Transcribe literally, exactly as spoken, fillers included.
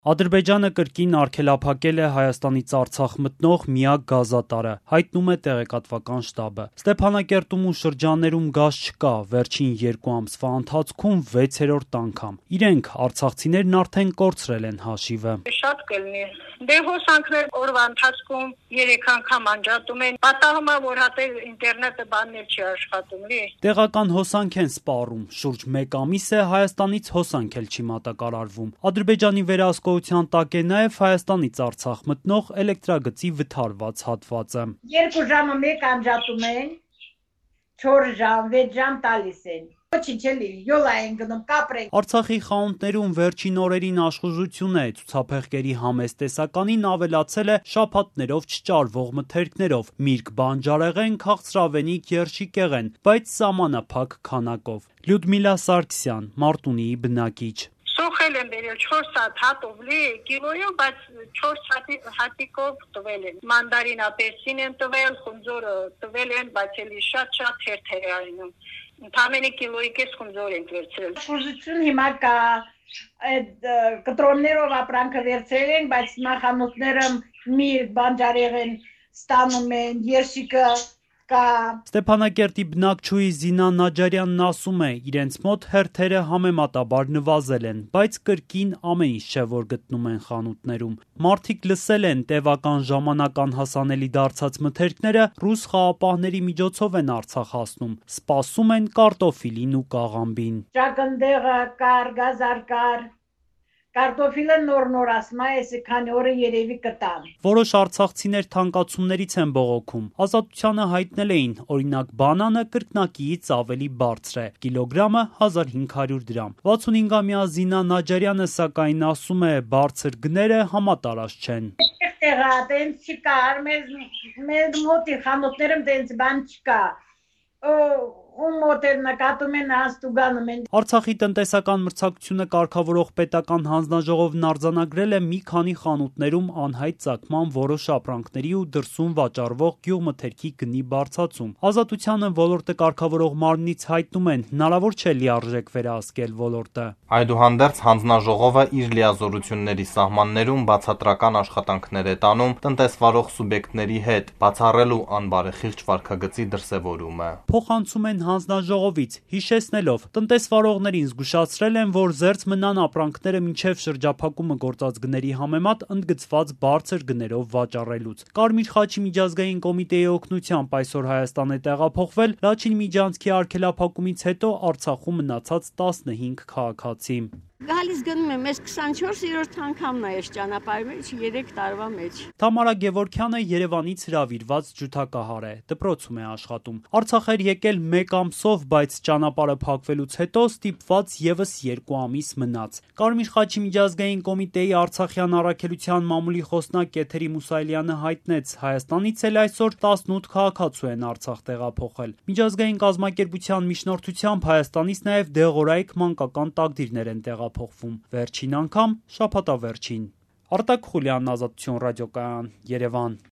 Ադրբեջանը կրկին արգելափակել է Հայաստանից Արցախ մտնող միակ գազատարը, հայտնում է տեղեկատվական շտաբը։ Ստեփանակերտում ու շրջաններում գազ չկա, վերջին երկու ամսվա ընթացքում վեցերորդ անգամ։ Իրենք, արցախցիներն արդեն կորցրել են հաշիվը։ Շատ կլինի։ Դե հոսանքներ օրվա ընթացքում երեք անգամ անջատում են։ Պատահում է, որ հատել ինտերնետը բաններ չի աշխատում, լի։ Տեղական հոսանք են սպառում։ Շուրջ մեկ ամիս է Հայաստանից հոսանք էլ չի մատակարարվում։ Ադրբեջանի վերահսկողության տակ է նաև Հայաստանից Արցախ մտնող էլեկտրագծի վթարված հատվածը։ Երկու ժամը մեկ անջատում են, չորս ժամ, վեց ժամ տալիս են։ Ոչինչ էլի, յոլա են գնում, կապրենք։ Արցախի խանութներում վերջին օրերին աշխուժություն է, ցուցափեղկերի համեստ տեսականին ավելացել է շաբաթներով չճարվող մթերքներով, միրգ բանջարեղեն, քաղցրավենիք, երշիկեղեն, բայց սահմանափակ քանակով։ Լյուդմիլա Սարգսյան, Մարտունիի բնակիչ։ Սոխել են բերել չորս հատ հատով լի, կիլոյով, բայց չորս հատիկով տվել են։ Մանդարին ապերսին են տվել, խունձորը տվել են, բայց էլի շատ-շատ թերթեր է այնում։ Ընդամենը կիլոյի կես խունձոր են վերցրել։ Աշխուժություն հիմա կա, այդ կտրոններով ապրանքը վերցրել են, բայց նախանութները միրգ, բանջարեղեն ստանում են, երշիկը կա։ Ստեփանակերտի բնակչուհի Զինա Նաջարյանն ասում է, իրենց մոտ հերթերը համեմատաբար նվազել են, բայց կրկին ամեն ինչ չէ, որ գտնում են խանութներում։ Մարդիկ լսել են տևական ժամանակ անհասանելի դարձած մթերքները ռուս խաղապահների միջոցով են Արցախ հասնում, սպասում են կարտոֆիլին ու կաղամբին։ Ճակնդեղը կար, գազար կար, կարտոֆիլը նոր-նոր ասում է, էսի քանի օրը երևի կտան։ Որոշ արցախցիներ թանկացումներից են բողոքում։ Ազատությանը հայտնել էին, օրինակ բանանը կրկնակիից ավելի բարձր է, կիլոգրամը հազար հինգ հարյուր դրամ։ վաթսունհինգամյա Զինա Նաջարյանը սակայն ասում է, բարձր գները համատարած չեն։ Տեղա տենց չկար, մեզ մոտի խանութներում տենց բան չկա։ Ու մոտեր նկատում են հաստուգանում են։ Արցախի տնտեսական մրցակցությունը կարգավորող պետական հանձնաժողովն արձանագրել է մի քանի խանութներում անհայտ ծագման որոշ ապրանքների ու դրսում վաճառվող գյուղմթերքի գնի բարձրացում։ Ազատությանը ոլորտը կարգավորող մարմնից հայտնում են, հնարավոր չէ լիարժեք վերահսկել ոլորտը։ Այդուհանդերձ հանձնաժողովը իր լիազորությունների սահմաններում բացատրական աշխատանքներ է տանում տնտեսվարող սուբյեկտների հետ, բացառելու անբարեխիղճ վարքագծի դրսևորումը։ Փոխանցում են հանձնաժողովից, հիշեցնելով, տնտեսվարողներին զգուշացրել են, որ զերծ մնան ապրանքները մինչև շրջափակումը գործած գների համեմատ ընդգծված բարձր գներով վաճառելուց։ Կարմիր խաչի միջազգային կոմիտեի օգնությամբ այսօր Հայաստան է տեղափոխվել Լաչին միջանցքի արգելափակումից հետո Արցախում մնացած տասնհինգ քաղաքացի։ Գալիս գնում եմ, ես քսանչորսերորդ անգամն է այս ճանապարհի մեջ երեք տարվա մեջ։ Թամարա Գևորգյանը Երևանից հրավիրված ջութակահար է, դպրոցում է աշխատում։ Արցախ էր եկել մեկ ամսով, բայց ճանապարհը փակվելուց հետո ստիպված եւս երկու ամիս մնաց։ Կարմիր խաչի միջազգային կոմիտեի Արցախյան առաքելության մամուլի խոսնակ Կեթերի Մուսայելյանը հայտնեց, Հայաստանից էլ այսօր տասնութ քաղաքացու են Արցախ տեղափոխել։ Միջազգային կազմակերպության միջնորդությամբ Հայաստանից նաեւ դեղորայք մանկական տակդիրներ են տեղափոխվում։ Վերջին անգամ շաբաթավերջին։ Արտակ Խուլյանն, Ազատություն ռադիոկայան, Երևան։